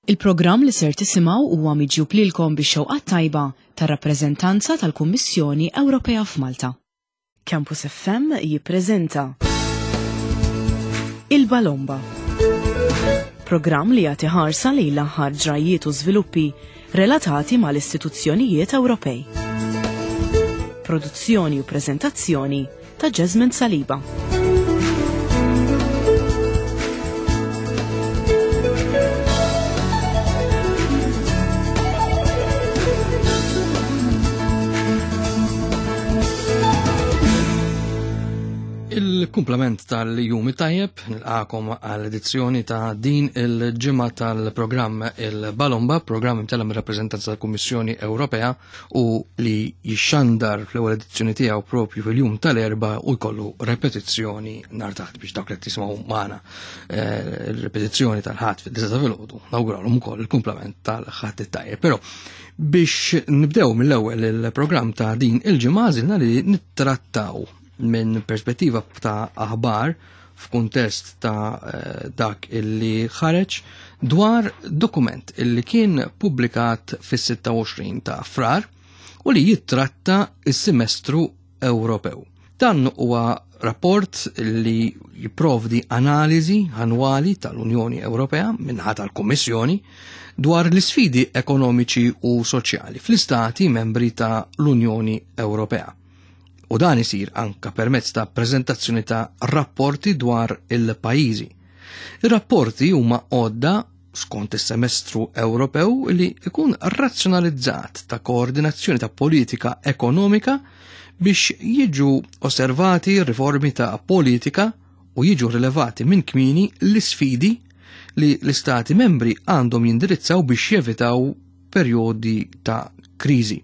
Il-programm li ser tisimgħu huwa miġjub lilkom bix-xewqat tajba tar-rappreżentanza tal-Kummissjoni Ewropea f'Malta. Campus FM jippreżenta Il-Balomba. Programm li jagħti ħarsa lejn l-aħħar ġrajjiet u żviluppi relatati mal-istituzzjonijiet Ewropej. Produzzjoni u preżentazzjoni ta' Jasmine Saliba. Il-kumplament tal-jum tajjeb nilqakom għall-edizzjoni ta' din il-ġimgħa tal-programm il-Balomba, programm imtella mir-rappreżentanza tal-Kummissjoni Ewropea u li jixxandar fl-ewwel edizzjoni tiegħu propju fil-jum tal-erba u jkollu repetizzjoni nhar taħt biex dawk li tisimgħu magħna eh, il-repetizzjoni tal-ħadd fid-disa ta' filgħodu nawguralhom ukoll il-kumplament tal-ħadd it-tajjeb. Però biex nibdew mill-ewwel il-programm ta' din il-ġimgħa għażilna li nittrattaw minn perspettiva ta' aħbar f'kuntest ta' eh, dak illi ħareġ dwar dokument illi kien publikat fis-26 ta' frar u li jittratta is-semestru Ewropew. Dan huwa rapport li jipprovdi analiżi annwali tal-Unjoni Ewropea minħa tal-Kummissjoni dwar l-isfidi ekonomiċi u soċjali fl-istati membri ta' l-Unjoni Ewropea. U dan isir anka permezz ta' preżentazzjoni ta' rapporti dwar il-pajjiżi. Ir-rapporti huma għodda skont is-semestru Ewropew li ikun razzjonalizzat ta' koordinazzjoni ta' politika ekonomika biex jiġu osservati riformi ta' politika u jiġu rilevati minn kmini l-isfidi li l-istati membri għandhom jindirizzaw biex jevitaw perjodi ta' kriżi.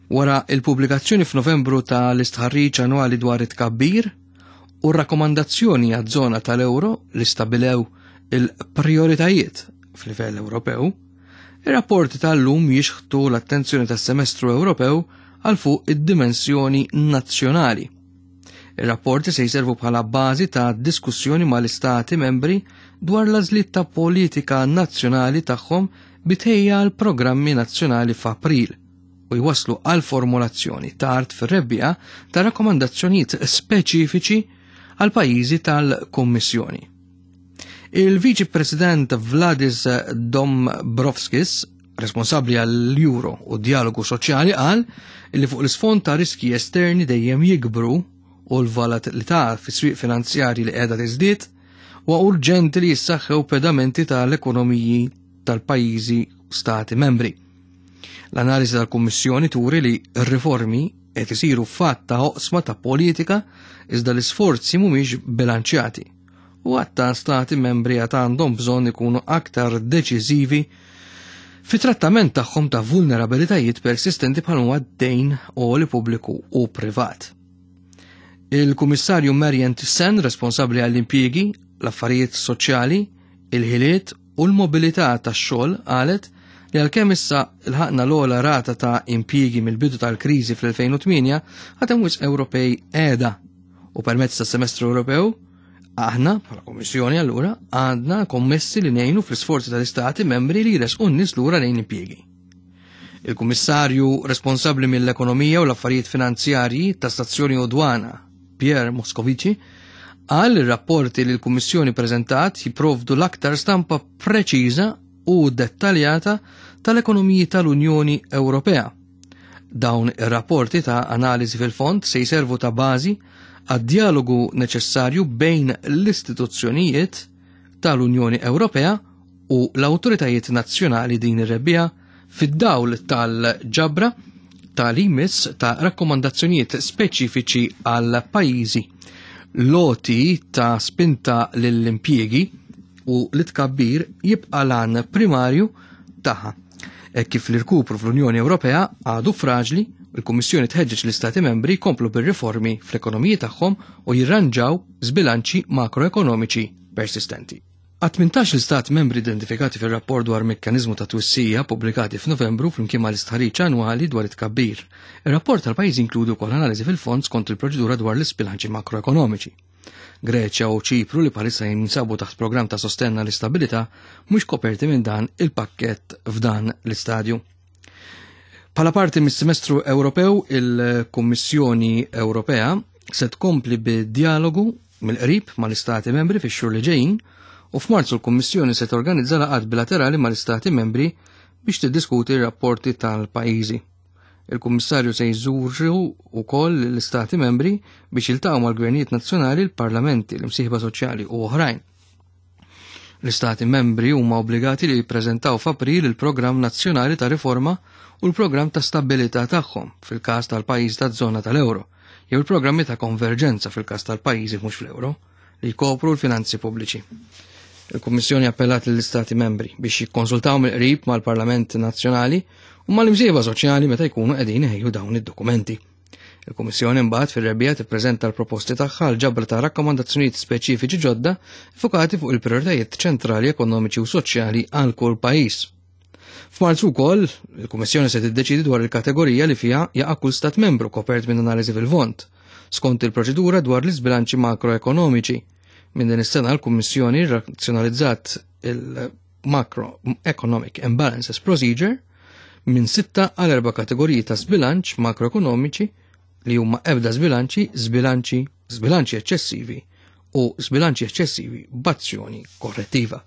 Wara il-pubblikazzjoni f'Novembru ta' l-istħarriġ annwali dwar it-tkabbir u r-rakkomandazzjoni għaż-żona tal-euro li stabilew il-prioritajiet f'livell Ewropew, ir-rapporti tal-lum jixħtu l-attenzjoni tas-semestru Ewropew għal fuq id-dimensjoni nazzjonali. Ir-rapporti se jservu bħala bażi ta' diskussjoni mal-istati membri dwar l-għażliet ta' politika nazzjonali tagħhom bitħejja għal programmi nazzjonali f'April u jwasslu għal formulazzjoni tard fir-rebbiegħa ta' rakkomandazzjonijiet speċifiċi għal pajjiżi tal-Kummissjoni. Il-Viċi President Vladis Dombrovskis, responsabbli għall-Euro u dialogu soċjali qal li fuq l-isfond ta' riski esterni dejjem jikbru u l-volatilità fis-swieq finanzjarji li qiegħda tiżdied, huwa urġenti li jissaħħew pedamenti tal-ekonomiji tal-pajjiżi stati membri. L-analiżi tal-Kummissjoni turi li r-riformi qed isiru fatt ta' oqsma ta' politika iżda l-isforzi mhumiex bilanċjati u għatta stati membri għad għandhom bżonn ikunu aktar deċiżivi fi trattament tagħhom ta' vulnerabilitajiet persistenti bħal huwa d-dejn li pubbliku u privat. Il-Kummissarju Marian Thyssen, responsabbli għall-impjiegi, l-affarijiet soċjali, il-ħiliet u l-mobilità tax-xogħol qalet li għalkemm issa lħaqna l-ogħla rata ta' impjiegi mill-bidu tal-kriżi fl-2008, għad hemm wisq Ewropej qiegħda. U permezz tas-semestru Ewropew, aħna bħala Kummissjoni allura għandna kommessi li ngħinu fl-isforzi tal-istati membri li jresqu n-nies lura lejn impjiegi. Il-Kummissarju responsabbli mill-Ekonomija u l-Affarijiet Finanzjarji, Tassazzjoni u Dwana, Pierre Moscovici, qal li r-rapporti li l-Kummissjoni preżentat jipprovdu l-aktar stampa preċiża u dettaljata tal-ekonomiji tal-Unjoni Ewropea. Dawn ir-rapporti ta' analiżi fil-fond se jservu ta' bażi għad-dialogu neċessarju bejn l-istituzzjonijiet tal-Unjoni Ewropea u l-awtoritajiet nazzjonali din ir-rebbiegħa fid-dawl tal-ġabra tal-IMIS ta' rakkomandazzjonijiet speċifiċi għal pajjiżi l-għoti ta' spinta lill-impjiegi u l-tkabbir jibqa' lan primarju tagħha. E kif l-irkupru fl-Unjoni Ewropea għadu fraġli, il-Kummissjoni tħeġġeġ l-Istati membri jkomplu bir-riformi fl-ekonomiji tagħhom u jirranġaw żbilanċi makroekonomiċi persistenti. Għat-18 l-istat membri identifikati fir-rapport dwar mekkaniżmu ta' twissija pubblikati f'Novembru flimkien mal-istħarriġ annwali dwar it-tkabbir. Ir-rapport tal-pajjiż jinkludi wkoll analiżi fil-fond skont il-proċedura dwar l-isbilanċi makroekonomiċi. Greċja u Ċipru li bħalissa jinsabu taħt programm ta' sostenn għall-istabilità mhux koperti minn dan il-pakkett f'dan l-istadju. Bħala parti mis-semestru Ewropew, il-Kummissjoni Ewropea se tkompli bid-dialogu mill-qrib mal-Istati membri fix-xhur li ġejjin u f'Marzu l-Kummissjoni se torganizza laqgħat bilaterali mal-Istati membri biex tiddiskuti r-rapporti tal-pajjiżi. Il-Kummissarju se jżuru wkoll l-Istati membri biex jiltaqgħu mal-gvernijiet nazzjonali, l-parlamenti, l-imsieħba soċjali u oħrajn. L-Istati membri huma obbligati li jippreżentaw f'April il-Programm Nazzjonali ta' Riforma u l-Programm ta' Stabilità tagħhom fil-każ tal-pajjiż taż-żona tal-euro, jew il-programmi ta' konverġenza fil-każ tal-pajjiżi mhux fl-euro, li jkopru l-finanzi pubbliċi. Il-Kummissjoni appellat lill-Istati membri biex jikkonsultaw mill-qrib mal-Parlament Nazzjonali u mal-imsieħba soċjali meta jkunu qegħdin iħejju dawn id-dokumenti. Il-Kummissjoni mbagħad fir-rebbiegħa tippreżenta l-proposti tagħha għal ġabra ta' rakkomandazzjonijiet speċifiċi ġodda fukati fuq il-prijoritajiet ċentrali ekonomiċi u soċjali għal kull pajjiż. F'Marzu wkoll, il-Kummissjoni se tiddeċidi dwar il-kategorija li fiha jaqa' kull stat membru kopert minn analiżi fil-vont, skont il-proċedura dwar l-iżbilanċi makroekonomiċi. Minn din is-sena l-Kummissjoni razzjonalizzat il-Macroeconomic Imbalances Procedure minn sitta għal erba' kategoriji ta' żbilanċ makroekonomiċi li huma ebda żbilanċi, żbilanċi, żbilanċi eċċessivi u żbilanċi eċċessivi b'azzjoni korrettiva.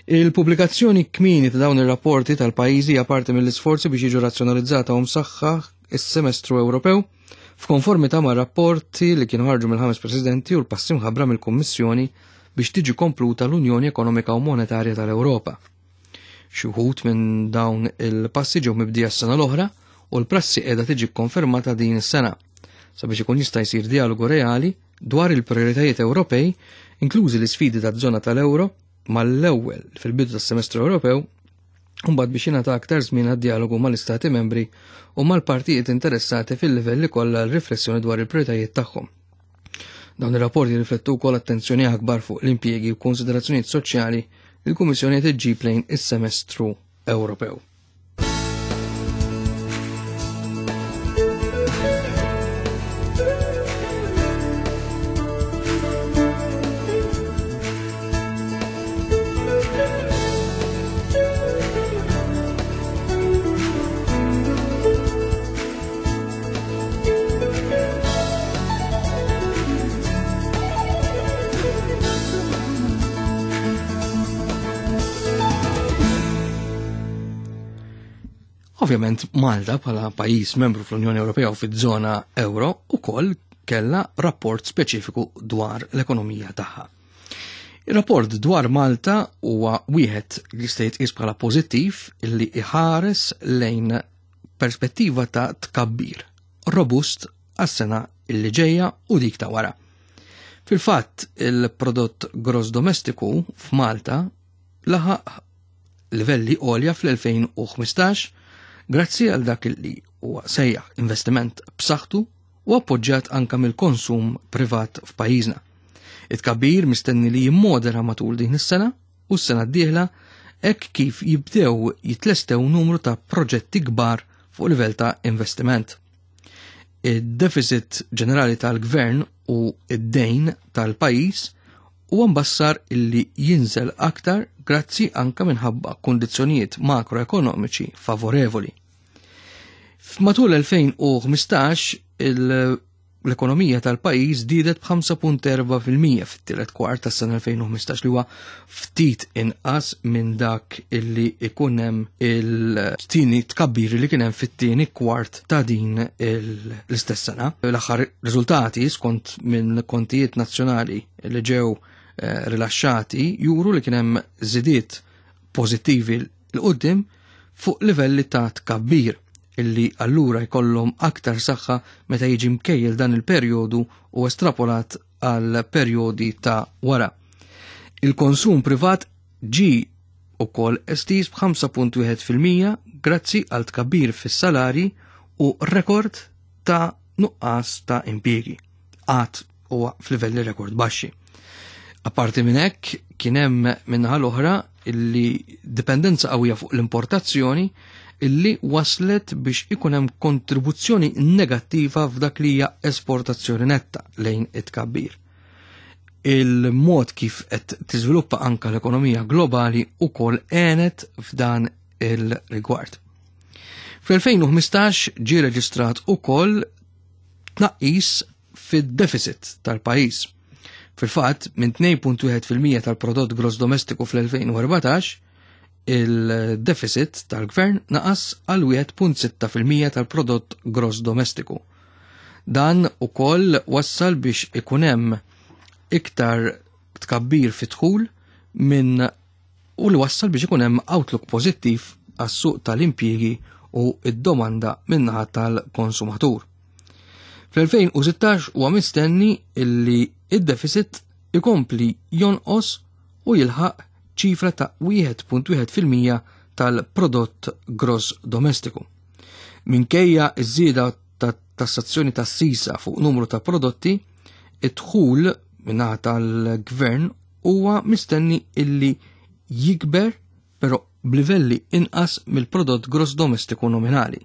Il-pubblikazzjoni kmieni ta' dawn ir-rapporti tal-pajjiżi hija parti mill-isforzi biex jiġu razzjonalizzata u msaħħaħ is-semestru Ewropew f'konformità ma' rapporti li kienu ħarġu mill-ħames presidenti u l-passi mħabbra mill-Kummissjoni biex tiġi kompluta l-Unjoni Ekonomika u Monetarja tal-Ewropa. Xi wħud minn dawn il-passi ġew mibdija s-sena l-oħra u l-prassi qiegħda tiġi kkonfermata din is-sena sabiex ikun jista' jsir dialogu reali dwar il-prijoritajiet Ewropej, inklużi l-isfidi taż-żona tal-euro, mal-ewwel fil-bidu tas-semestru Ewropew, u mbagħad biex jingħata aktar żmien għad-dialogu mal-Istati membri u mal-partijiet interessati fil-livelli kollha għal riflessjoni dwar il-prijoritajiet tagħhom. Dawn ir-rapporti jirriflettu wkoll attenzjoni akbar fuq l-impjiegi u konsiderazzjonijiet soċjali li l-Kummissjoni qed iġġib lejn is-semestru Ewropew. Ovvjament Malta bħala pajjiż membru fl-Unjoni Ewropea u fiż-żona euro ukoll kellha rapport speċifiku dwar l-ekonomija tagħha. Ir-rapport dwar Malta huwa wieħed li jista' jitqies bħala pożittiv illi iħares lejn perspettiva ta' tkabbir robust għas-sena illi ġejja u dik ta' wara. Fil-fatt, il-prodott gross domestiku f'Malta laħaq livelli għolja fl-2015 grazzi għal dak li huwa sejjaħ investiment b'saħħtu u appoġġjat anka mill-konsum privat f'pajjiżna. It-tkabbir mistenni li jimmodera matul din is-sena u s-sena d-dieħla hekk kif jibdew jitlestew numru ta' proġetti kbar fuq livell ta' investiment. Id-deficit ġenerali tal-gvern u id-dejn tal-pajjiż huwa mbassar illi jinżel aktar grazzi anka minħabba kundizzjonijiet makroekonomiċi favorevoli. Matul 2015 l-ekonomija tal-pajjiż żdiedet b'5.4% fit-tielet kwart tas-sena 2015 li huwa ftit inqas minn dak illi ikun hemm il-tieni tkabbir li kien hemm fit-tieni kwart ta' din l-istess sena. L-aħħar riżultati skont minn kontijiet nazzjonali li ġew eh, rilaxxati juru li kien hemm żidiet pożittivi 'l quddiem fuq livelli ta' tkabbir illi allura jkollhom aktar saħħa meta jiġi mkejjel dan il-perjodu u estrapolat għal perjodi ta' wara. Il-konsum privat ġi ukoll estiż b'5.1% grazzi għal tkabbir fis-salari u rekord ta' nuqqas ta' impjiegi. Għad huwa f'livelli rekord baxxi. Apparti minn hekk kien hemm min-naħa l-oħra illi dipendenza qawwija fuq l-importazzjoni illi waslet biex ikun hemm kontribuzzjoni negattiva f'dak li hija esportazzjoni netta lejn it-tkabbir. Il-mod kif qed tiżviluppa anka l-ekonomija globali ukoll għenet f'dan il-rigward. Fl-2015 ġie reġistrat ukoll tnaqqis fid-deficit tal-pajjiż. Fil-fatt, minn 2.1% tal-prodott gross domestiku fl-2014, il-deficit tal-gvern naqas għal 1.6% tal-prodott gross domestiku. Dan ukoll wassal biex ikun hemm iktar tkabbir fit-dħul minn u li wassal biex ikun hemm outlook pożittiv għas-suq tal-impjiegi u id-domanda min-naħa tal-konsumatur. Fl-2016 huwa mistenni illi id-deficit ikompli jonqos u jilħaq ċifra ta' 1.1% tal-prodott gross domestiku. Minkejja iż-żieda ta' tassazzjoni tas sisa fuq numru ta' prodotti, id-dħul minnaħa tal-gvern huwa mistenni illi jikber però b'livelli inqas mill-prodott gross domestiku nominali.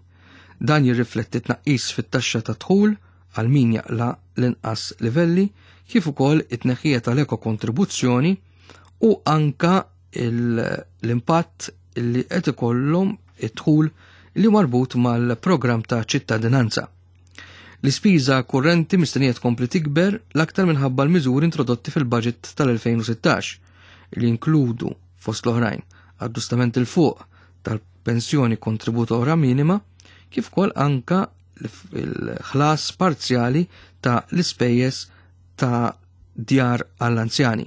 Dan jirrifletti tnaqqis fit-taxxa ta' dħul għal min jaqla l-inqas livelli kif ukoll it-tneħħija tal-eko kontribuzzjoni u anka l-impatt li qed ikollhom id-dħul li marbut mal-programm ta' ċittadinanza. L-ispiża kurrenti mistennija tkompli tikber l-aktar minħabba l-miżuri introdotti fil-budget tal-2016 li jinkludu fost l-oħrajn aġġustament il fuq tal-pensjoni kontributora minima kif ukoll anka l-ħlas parzjali ta' l-ispejjeż ta' djar għall-anzjani.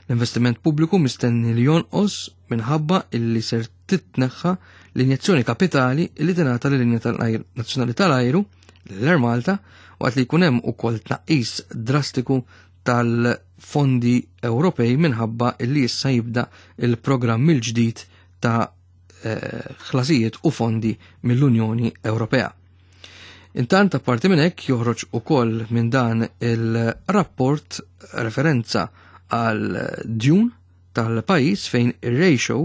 L-investiment pubbliku mistenni li jonqos minħabba illi ser titneħħa l-injezzjoni kapitali li tingħata lil-linja tal-ajru nazzjonali tal-ajru l-Air Malta waqt li jkun hemm ukoll tnaqqis drastiku tal-fondi Ewropej minħabba illi issa jibda il-programm il-ġdid ta' eh, ħlasijiet u fondi mill-Unjoni Ewropea. Intant apparti minn hekk joħroġ ukoll minn dan il-rapport referenza għal djun tal-pajjiż fejn ir-ratio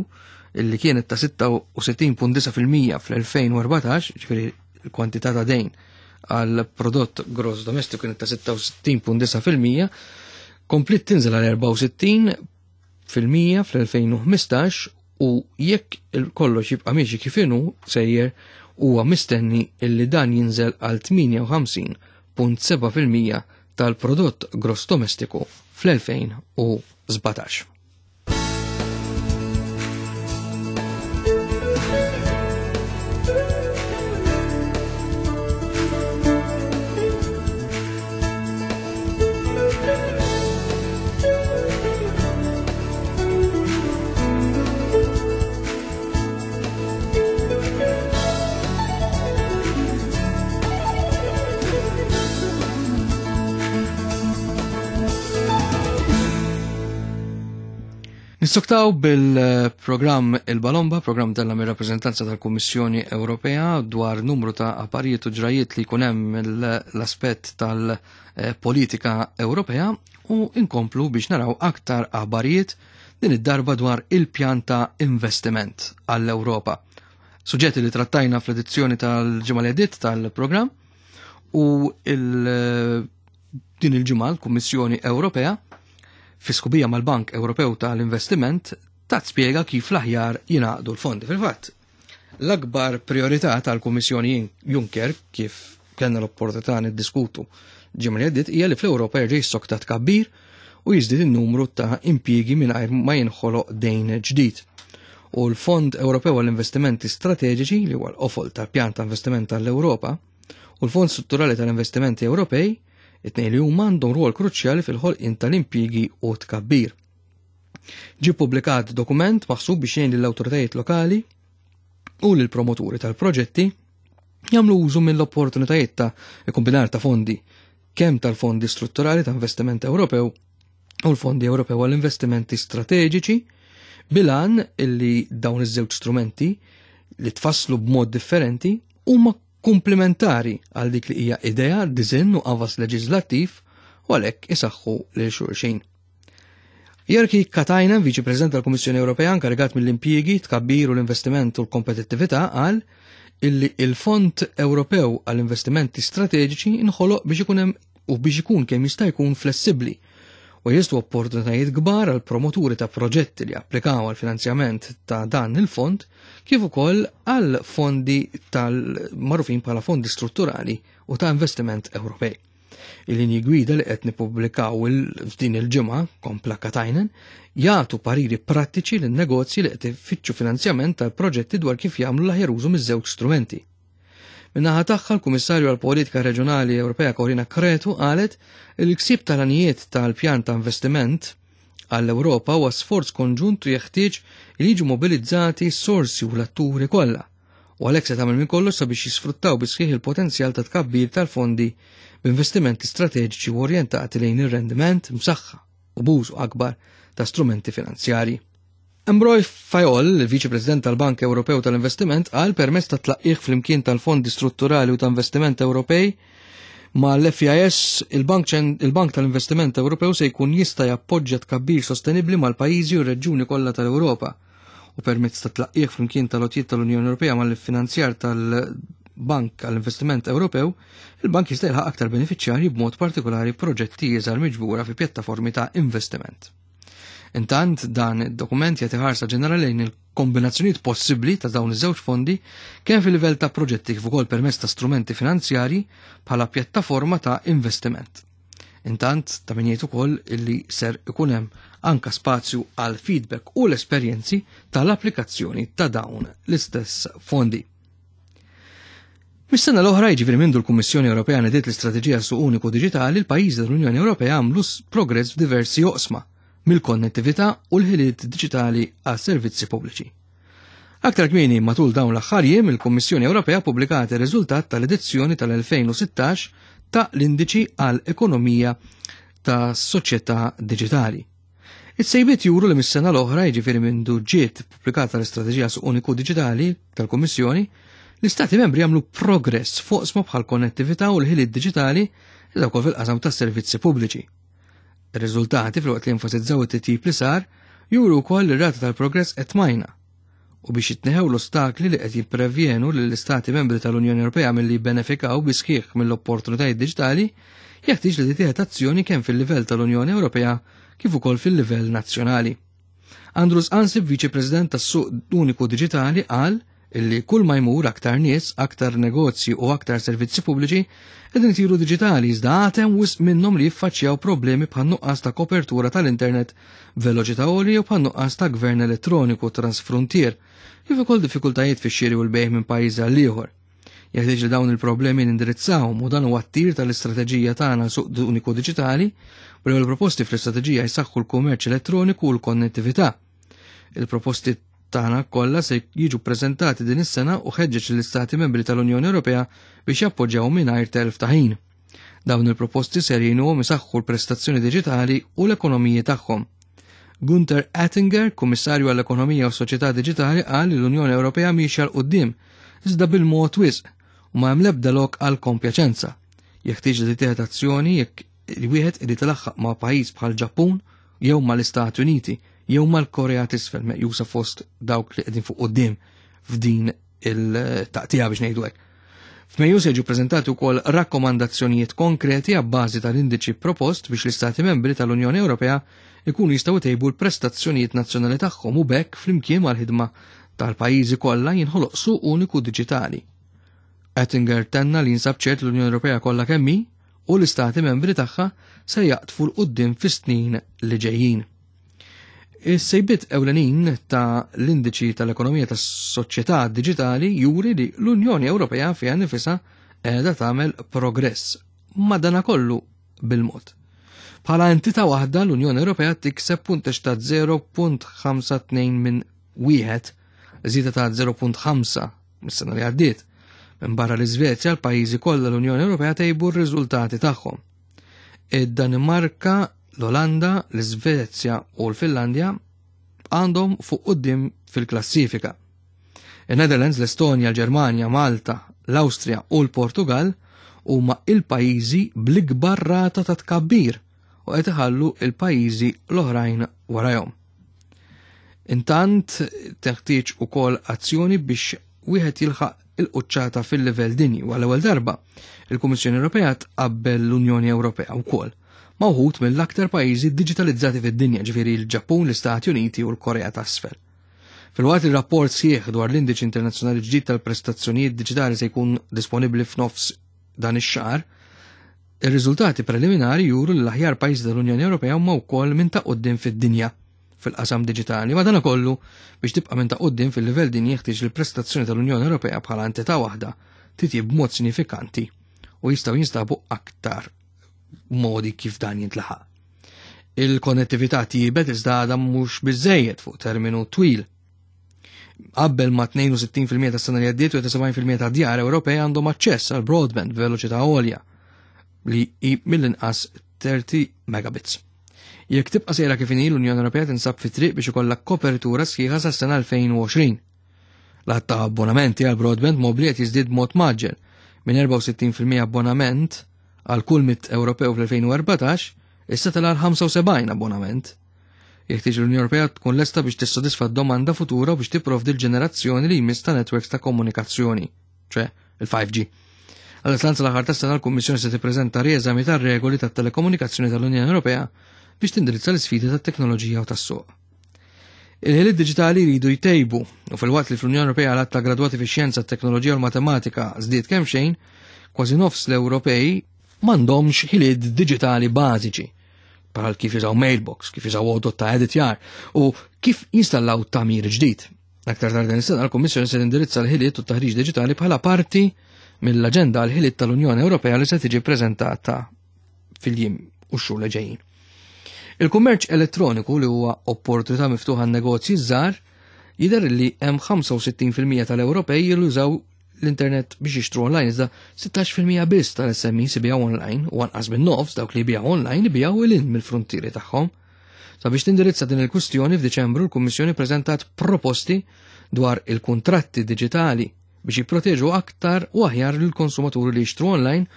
illi kienet ta' 66.9% fl-2014, ġifieri l-kwantità ta' dejn għal prodott gross domestiku kienet ta' 66.9%, komplit tinżel għal 64% fl-2015 u jekk kollox jibqa' miexi kif inhu sejjer huwa mistenni illi dan jinżel għal 58.7% tal-prodott gross domestiku fl-2017. Nissoktaw bil-programm Il-Balomba, programm della mir rappresentanza tal-Kummissjoni Ewropea dwar numru ta' apparijiet u ġrajiet li jkun hemm l-aspett tal-politika Ewropea u inkomplu biex naraw aktar aħbarijiet din id-darba dwar il-pjan ta' investiment għall-Ewropa. Suġġetti li trattajna fl-edizzjoni tal-ġimgħa li għaddiet tal-programm u din il-ġimgħa l-Kummissjoni Ewropea fi skubija mal-Bank Ewropew tal-Investiment tat spjega kif l-aħjar jingħaqdu l-fondi. Fil-fatt, l-akbar priorità tal-Kummissjoni Juncker kif kellna l-opportunità niddiskutu ġimgħa li għaddiet hija li fl-Ewropa jerġa' jissokta tkabbir u jiżdied in-numru ta' impjiegi mingħajr ma jinħoloq dejn ġdid. U l-Fond Ewropew għall-Investimenti Strateġiċi li huwa l-qofol tal-Pjan ta' Investiment tal-Ewropa u l-Fond Strutturali tal-Investimenti Ewropej, it-tnejn li huma għandhom rwol kruċjali fil-ħolqien tal-impjiegi u tkabbir. Ġie ppubblikat dokument maħsub biex jgħin lill-awtoritajiet lokali u lill-promoturi tal-proġetti jagħmlu użu mill-opportunitajiet ta' ikkombinar ta' fondi kemm tal-fondi strutturali ta' investiment Ewropew u l-Fondi Ewropew għall-investimenti strateġiċi bilan illi dawn iż-żewġ strumenti li tfasslu b'mod differenti huma komplementari għal dik li hija idea, diżinn u qafas leġislattiv u għalhekk isaħħu lil xulxin. Jerki Katajnen, Viċi President tal-Kummissjoni Ewropea inkarigat mill-impjiegi, tkabbir u l-investiment u l-kompetittività, qal illi il-Fond Ewropew għall-Investimenti Strateġiċi inħoloq biex ikun hemm u biex ikun kemm jista' jkun flessibbli. U jeżistu opportunitajiet kbar għal promoturi ta' proġetti li applikaw għal finanzjament ta' dan il-fond kif ukoll għal fondi tal-magħrufin bħala fondi strutturali u ta' investiment Ewropej. Il-linji gwida li qed nippubblikaw f'din il-ġimgħa, kompla Katainen, jagħtu pariri prattiċi lin negozji li qed ifittxu finanzjament tal-proġetti dwar kif jagħmlu l-aħjar użu miż-żewġ strumenti. Min-naħa tagħha l-Kummissarju għall-Politika Reġjonali Ewropea Corina Cretu qalet li l-ksib tal-għanijiet tal-pjan ta' investiment għall-Ewropa huwa sforz konġunt u jeħtieġ li jiġu mobilizzati s-sorsi u l-atturi kollha u għalhekk se tagħmel minn kollox sabiex jisfruttaw bisħieħ il-potenzjal ta' tkabbir tal-fondi b'investimenti strateġiċi u orjentati lejn ir-rendiment msaħħa u b'użu akbar ta' strumenti finanzjarji. Ambroy Fayol, il-Viċi President tal-Bank Ewropew tal-Investiment, qal permezz ta' tlaqqigħ flimkien tal-Fondi Strutturali u ta' Investiment Ewropej ma' l-FIS, il-Bank il tal-Investiment Ewropew se jkun jista' jappoġġja tkabbir sostenibbli mal-pajjiżi u r-reġjuni kollha tal-Ewropa u permezz ta' tlaqqigħ flimkien tal-għotjiet tal-Unjoni Ewropea mal-finanzjar tal-Bank għall-Investiment Ewropew, il-bank jista' jilħaq aktar benefiċjarji b'mod partikolari proġetti iżgħar miġbura fi pjattaformi ta' investiment. Intant dan id-dokument jagħti ħarsa ġenerali lejn il-kombinazzjonijiet possibbli ta' dawn iż-żewġ fondi kemm fil-livell ta' proġetti kif ukoll permezz ta' strumenti finanzjarji bħala pjattaforma ta' investiment. Intant ta' min jgħid ukoll illi ser ikun hemm anka spazju għal feedback u l-esperjenzi tal-applikazzjoni ta' dawn l-istess fondi. Mis-sena l-oħra, jiġifieri mindu l-Kummissjoni Ewropea nediet l-Istrateġija Suq Uniku Diġitali, l-pajjiżi tal-Unjoni Ewropea għamlu progress f'diversi oqsma, mill-konnettività u l-ħiliet diġitali għas-servizzi pubbliċi. Aktar kmieni matul dawn l-aħħar jiem, il-Kummissjoni Ewropea ppubblikat ir-riżultat tal-edizzjoni tal-2016 ta' l-Indiċi għal Ekonomija ta' Soċjetà Diġitali. Is-sejbiet juru li mis-sena l-oħra, jiġifieri mindu ġiet pubblikata l-Istrateġija Suq Uniku Diġitali tal-Kummissjoni, l-Istati membri għamlu progress fuq sma bħal konnettività u l-ħiliet diġitali iżda wkoll fil-qasam tas-servizzi pubbliċi. Ir-riżultati filwaqt li enfasizzaw it-titjib li sar, juru wkoll li r-rata tal-progress qed tmajna u biex jitneħew l-ostakli li qed jipprevjenu lill-Istati membri tal-Unjoni Ewropea milli jibbenefikaw bi sħiħ mill-opportunitajiet diġitali, jeħtieġ li titieħed azzjoni kemm fil-livell tal-Unjoni Ewropea kif ukoll fil-livell nazzjonali. Andrus Ansip, Viċi President tas-Suq Uniku Diġitali, qal illi kull ma jmur aktar nies, aktar negozji u aktar servizzi pubbliċi qegħdin isiru diġitali iżda għad hemm wisq minnhom li jiffaċċjaw problemi bħal nuqqas ta' kopertura tal-internet b'veloċità għolja jew bħal nuqqas ta' gvern elettroniku transfruntier, kif ukoll diffikultajiet fix-xiri u l-bejgħ minn pajjiż għal ieħor. Jeħtieġ li dawn il-problemi nindirizzawhom u dan huwa t-tir tal-istrateġija tagħna suq uniku diġitali u l-ewwel proposti fl-istrateġija jsaħħu l-kummerċ elettroniku u l-konnettività. Il-proposti tagħna kollha se jiġu ppreżentati din is-sena u ħeġġeġ lill-Istati Membri tal-Unjoni Ewropea biex jappoġġjaw mingħajr telf ta' ħin. Dawn il-proposti ser jgħinuhom isaħħu l-prestazzjoni diġitali u l-ekonomiji tagħhom. Gunther Oettinger, Kummissarju għall-Ekonomija u Soċjetà Diġitali qal li l-Unjoni Ewropea miexja 'l quddiem, iżda bil-mod wisq u ma hemm l-ebda lok għal kompjaċenza. Jeħtieġ li titieħed azzjoni jekk wieħed irid ilaħħaq ma' pajjiż bħal Ġappun jew mal-Istati Uniti jew mal-Korea t'Isfel meqjusa fost dawk li qegħdin fuq quddiem f'din il-taqtija biex ngħidu hekk. F'Mejju se jiġu preżentati wkoll rakkomandazzjonijiet konkreti għabbażi tal-indiċi propost biex l-Istati membri tal-Unjoni Ewropea ikunu jistgħu jtejbu l-prestazzjonijiet nazzjonali tagħhom u b'hekk flimkien mal-ħidma tal-pajjiżi kollha jinħoloq suq uniku diġitali. Oettinger tenna li jinsab ċert l-Unjoni Ewropea kollha kemm hi u l-istati membri tagħha se jaqdfu 'l quddiem fis-snin li ġejjin. Is-sejbiet ewlenin ta' l-indiċi tal-ekonomija tas-soċjetà diġitali juri li l-Unjoni Ewropea fiha nifisha qiegħda tagħmel progress, madanakollu bil-mod. Bħala entità waħda l-Unjoni Ewropea tikseb punteġġ ta' 0.52 minn wieħed, żieda ta' 0.5 mis-sena li għaddiet. Minbarra l-Iżvezja, l-pajjiżi kollha l-Unjoni Ewropea tejbu r-riżultati tagħhom. Id-Danimarka, l-Olanda, l-Iżvezja u l-Finlandja għandhom fuq quddiem fil-klassifika. Il-Netherlands, l-Estonja, l-Ġermanja, Malta, l-Awstrija u l-Portugal huma il-pajjiżi bl-ikbar rata ta' tkabbir u qed iħallu il-pajjiżi l-oħrajn warajhom. Intant teħtieġ ukoll azzjoni biex wieħed jilħaq il-quċċata fil-livell dinji u għall-ewwel darba il-Kummissjoni Ewropea tqabbel l-Unjoni Ewropea wkoll ma' wħud mill-aktar pajjiżi diġitalizzati fid-dinja, ġifieri l-Ġappun, l-Istati Uniti u l-Korea t'Asfel. Filwaqt li rapport sħiħ dwar l-Indiċi Internazzjonali ġdid tal-Prestazzjonijiet Diġitali se jkun disponibbli f'nofs dan ix-xahar, ir-riżultati preliminari juru li l-aħjar pajjiżi tal-Unjoni Ewropea huma wkoll minn ta' quddiem fid-dinja fil-qasam diġitali. Madankollu, biex tibqa' minn ta' quddiem fil-livell dinji jeħtieġ li l-prestazzjoni tal-Unjoni Ewropea bħala entità waħda titjib b'mod sinifikanti u jistgħu jinstabu aktar modi kif dan jintlaħaq. Il-konnettività tjibet iżda għadha mhux biżejjed fuq terminu twil. Qabel ma 62% tas-sena li għaddiet u 70% ta' djar Ewropej għandhom aċċess għal broadband b'veloċità għolja li hi mill-inqas 30 megabits. Jekk tibqa' sejra kif inhi l-Unjoni Ewropea tinsab fi triq biex ikollha kopertura sħiħa sas-sena 2020. L-għadd ta' abbonamenti għal broadband mobli qed jiżdied b'mod maġġel minn 64% abbonament għal kull mit Ewropew fl-2014 issa tela' 75 abbonament. Jeħtieġ l-Unjoni Ewropea tkun lesta biex tissodisfa d-domanda futura u biex tipprovdi l-ġenerazzjoni li jmiss ta' netwerks ta' komunikazzjoni, ċe il-5G. Għal-islanza l-aħħar tas-sena l-Kummissjoni se tippreżenta rieżami tar-regoli tat-telekomunikazzjoni tal-Unjoni Ewropea biex tindirizza l-isfidi tat-teknoloġija u tas-suq. Il-ħiliet diġitali jridu jtejbu u filwaqt li fl-Unjoni Ewropea l ta' gradwati fix-xjenza, t-teknoloġija u l-matematika żdied kemm xejn, kważi nofs l-Ewropej m'għandhomx ħiliet diġitali bażiċi bħal kif jużaw mailbox, kif jużaw għodot ta' editjar u kif jinstallaw tagħmir ġdid. Aktar tard din is-sena l-Kummissjoni se tindirizza l-ħiliet u t-taħriġ diġitali bħala parti mill-aġenda għal ħiliet tal-Unjoni Ewropea li se tiġi ppreżentata fil-jiem u x-xhur li ġejjin. Il-kummerċ elettroniku li huwa opportunità miftuħa għan-negozji żgħar jidher li hemm 65% tal-Ewropej jużaw l-internet biex jixtru online iżda 16% biss tal-SMEs ibijaw online u anqas minn nofs dawk li jbijaw online ibijaw ilin mill-frontieri tagħhom. Sabiex tindirizza din il-kwistjoni f'Diċembru l-Kummissjoni preżentat proposti dwar il-kuntratti diġitali biex jipproteġu aktar u aħjar lill-konsumaturi li jixtru online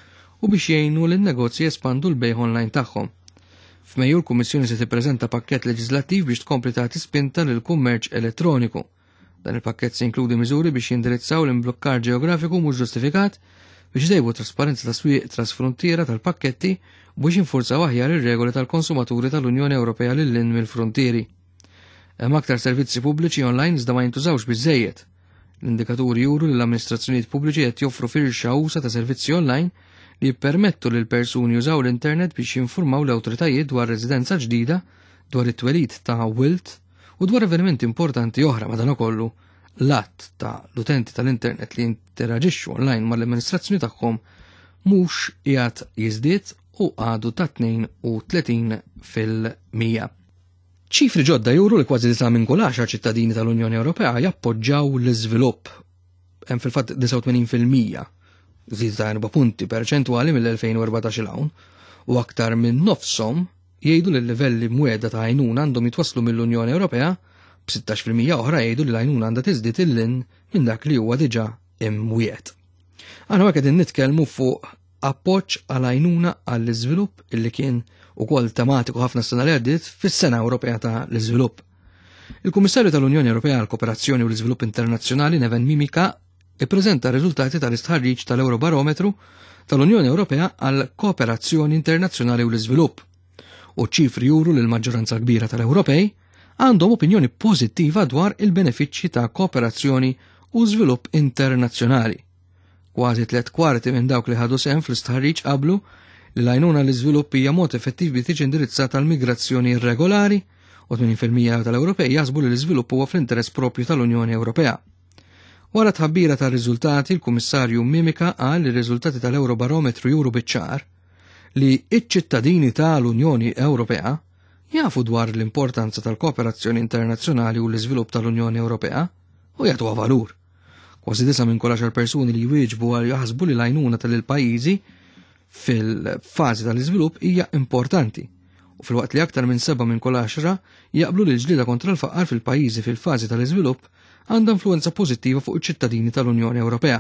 u biex jgħinu lin-negozji jespandu l-bejgħ online tagħhom. F'Mejju l-Kummissjoni se tippreżenta pakkett leġislattiv biex tkompli tagħti spinta lill-kummerċ elettroniku. Dan il-pakkett se jinkludi miżuri biex jindirizzaw l-imblukkar ġeografiku mhux ġustifikat, biex itejbu t-trasparenza ta' swieq trasfruntiera tal-pakketti u biex jinfurzaw aħjar ir-regoli tal-konsumaturi tal-Unjoni Ewropea lil hinn mill-fruntieri. Hemm aktar servizzi pubbliċi online iżda ma jintużawx biżżejjed. L-indikaturi juru li l-amministrazzjonijiet pubbliċi qed joffru firxa usa ta' servizzi online li jippermettu lil persuni jużaw l-internet biex jinfurmaw l-awtoritajiet dwar residenza ġdida, dwar it-twelid ta' wild u dwar avvenimenti importanti oħra madankollu l-att ta' l-utenti tal-internet li jinteraġixxu online mal-amministrazzjoni tagħhom mhux qiegħed jiżdied u għadu ta' 32 fil-100. Ċifri ġodda juru li kważi disa' minn kull għaxar ċittadini tal-Unjoni Ewropea jappoġġaw l-iżvilupp. Hemm fil-fatt 89% żieda ta' 4 punti perċentwali mill-2014 'il hawn, u aktar minn nofshom jgħidu li l-livelli mwiegħda ta' għajnuna għandhom jitwasslu mill-Unjoni Ewropea, b'16% oħra jgħidu li l-għajnuna għandha tiżdied 'il hinn minn dak li huwa diġà imwiegħed. Aħna hawnhekk qegħdin nitkellmu fuq appoġġ għal għajnuna għall-iżvilupp illi kien ukoll tematiku ħafna s-sena li għaddiet fis-Sena Ewropea ta' l-Iżvilupp. Il-Kummissarju tal-Unjoni Ewropea għall Kooperazzjoni u l-Iżvilupp Internazzjonali Neven Mimica ippreżenta r-riżultati tal-istħarriġ tal-Eurobarometru tal-Unjoni Ewropea għal Kooperazzjoni Internazzjonali u l-Iżvilupp. U ċifri juru li l-maġġoranza kbira tal-Ewropej għandhom opinjoni pożittiva dwar il-benefiċċji ta' kooperazzjoni u żvilupp internazzjonali. Kważi tlet kwarti minn dawk li ħadu sehem fl-istħarriġ qablu li l-għajnuna l-iżvilupp hija mod effettiv biex tiġi indirizzata l-migrazzjoni irregolari u 80% tal-Ewropej jaħsbu li l-iżvilupp huwa fl-interess propju tal-Unjoni Ewropea. Wara tħabbira tar-riżultati, il-Kummissarju Mimica qal li r-riżultati tal-Eurobarometru juru biċ-ċar li iċ-ċittadini tal-Unjoni Ewropea jafu dwar l-importanza tal-kooperazzjoni internazzjonali u l-iżvilupp tal-Unjoni Ewropea u jagħtuha valur. Kważi disa minn kull għaxar persuni li jwieġbu għal jaħsbu li l-għajnuna tal-pajjiżi fil-fażi tal-iżvilupp hija importanti. U filwaqt li aktar minn seba' minn kull għaxra jaqblu li l-ġlieda kontra l-faqar fil-pajjiżi fil-fażi tal-iżvilupp għandha influenza pożittiva fuq iċ-ċittadini tal-Unjoni Ewropea.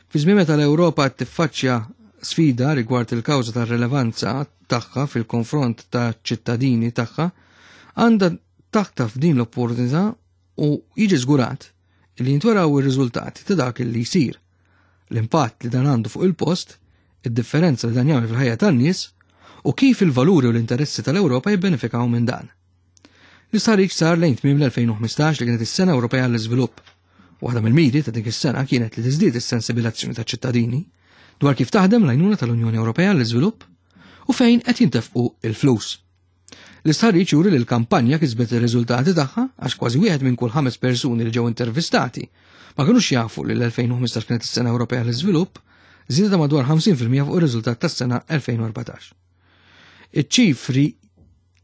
Fi żmien meta l-Ewropa qed tiffaċċja sfida rigward il-kawża tar-rilevanza tagħha fil-konfront ta' ċittadini tagħha, għandha taħtaf din l-opportunità u jiġi żgurat li jintweraw ir-riżultati ta' dak li jsir, l-impatt li dan għandu fuq il-post, id-differenza li dan jagħmel fil-ħajja tan-nies u kif il-valuri u l-interessi tal-Ewropa jibbenefikaw minn dan. L-istħarriġ sar lejn tmiem l-2015 li kienet is-Sena Ewropea għall-Iżvilupp. Waħda mill-miri ta' dik is-sena kienet li tiżdied is-sensibilazzjoni taċ-ċittadini dwar kif taħdem l-għajnuna tal-Unjoni Ewropea għall-Iżvilupp u fejn qed jintefqu il-flus. L-istħarriġ juri li l-kampanja kisbet ir-riżultati tagħha għax kważi wieħed minn kull ħames persuni li ġew intervistati ma kinux jafu li l-2015 kienet is-Sena Ewropea l-Iżvilupp, żieda ta' madwar 50% fuq ir-riżultat tas-sena 2014. Iċ-ċifri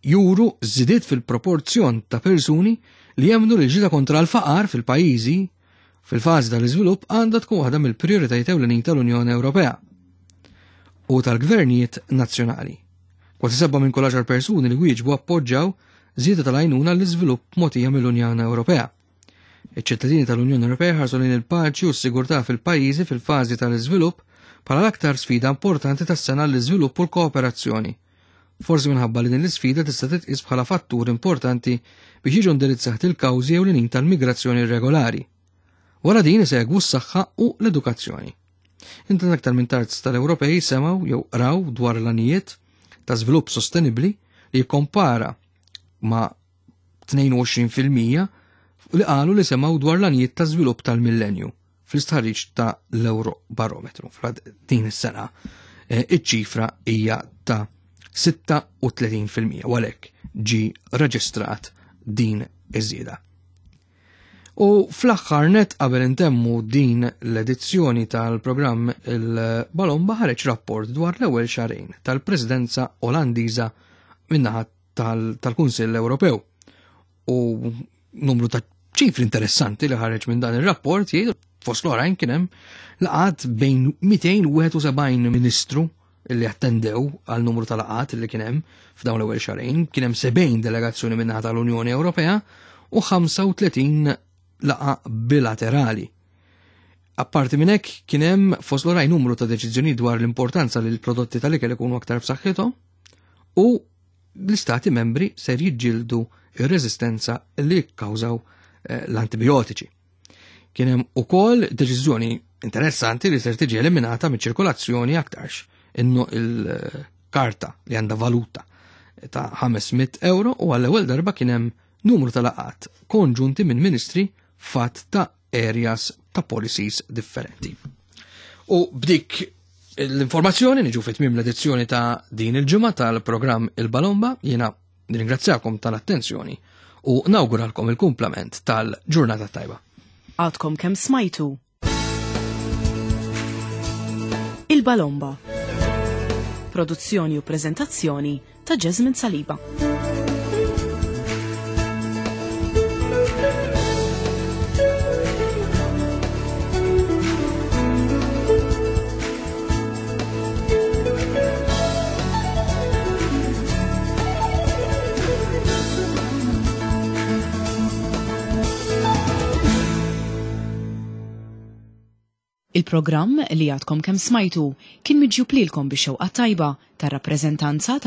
juru żidiet fil-proporzjon ta' persuni li jemmnu li l-ġlieda kontra l-faqar fil-pajjiżi fil-fażi tal-iżvilupp għandha tkun waħda mill-prijoritajiet ewlenin tal-Unjoni Ewropea u tal-gvernijiet nazzjonali. Kważi seba' minn kull għaxar persuni li wieġbu appoġġaw żieda tal-għajnuna l-iżvilupp mogħtija mill-Unjoni Ewropea. Iċ-ċittadini tal-Unjoni Ewropea ħarsu lejn il-paċi u s-sigurtà fil-pajjiżi fil-fażi tal-iżvilupp bħala l-aktar sfida importanti tas-sena l-iżvilupp u l-kooperazzjoni. Forsi minħabba li din l-isfida tista' titqies bħala fattur importanti biex jiġu indirizzati l-kawżi ewlenin tal-migrazzjoni irregolari. Wara din isegwu s-saħħa u l-edukazzjoni. Intant aktar minn terz tal-Ewropej semgħu jew qraw dwar l-għanijiet ta' żvilupp sostenibbli li jikkompara ma' 22% li qalu li semgħu dwar l-għanijiet ta' żvilupp tal-millenju fl-istħarriġ ta' l-Eurobarometru. Din is-sena eh, iċ-ċifra hija ta' 36% u għalhekk ġi reġistrat din iż-żieda. U fl-aħħar net qabel intemmu din l-edizzjoni tal-programm il-Balomba ħareġ rapport dwar l-ewwel xarejn tal-Presidenza Olandiża min-naħa tal-Kunsill Ewropew. U numru ta' ċifri interessanti li ħareġ minn dan ir-rapport jgħidu fost l-oħrajn kien hemm laqat bejn 271 ministru li attendew għal numru ta' laqat li kien hemm f'dawn l-ewwel xarejn, kien hemm 70 delegazzjoni min-naħa tal-Unjoni Ewropea u 35 laqa bilaterali. Apparti minn hekk kien hemm fost l-oħrajn numru ta' deċiżjonijiet dwar l-importanza li l-prodotti tal-ikel ikunu aktar b'saħħithom u l-istati membri ser jiġġieldu ir-reżistenza li jikkawżaw eh, l-antibiotiċi. Kien hemm ukoll deċiżjoni interessanti li ser tiġi eliminata miċ-ċirkolazzjoni aktarx innu il-karta li għandha valuta ta' 500 euro u għall-ewwel darba kien hemm numru ta' laqat konġunti minn ministri fatt ta' areas ta' policies differenti. U b'dik l-informazzjoni niġu fit tmiem l-edizzjoni ta' din il-ġimgħa tal-programm Il-Balomba jiena nirringrazzjakom tal-attenzjoni u nawguralkom il-kumplament tal-ġurnata tajba. Għadkom kemm smajtu Il-Balomba. Produzzjoni u prezentazzjoni ta' Jasmine Saliba. Il-programm li għadkom kemm smajtu kien miġjub lilkom bix-xewqa tajba tar-rappreżentanza tal.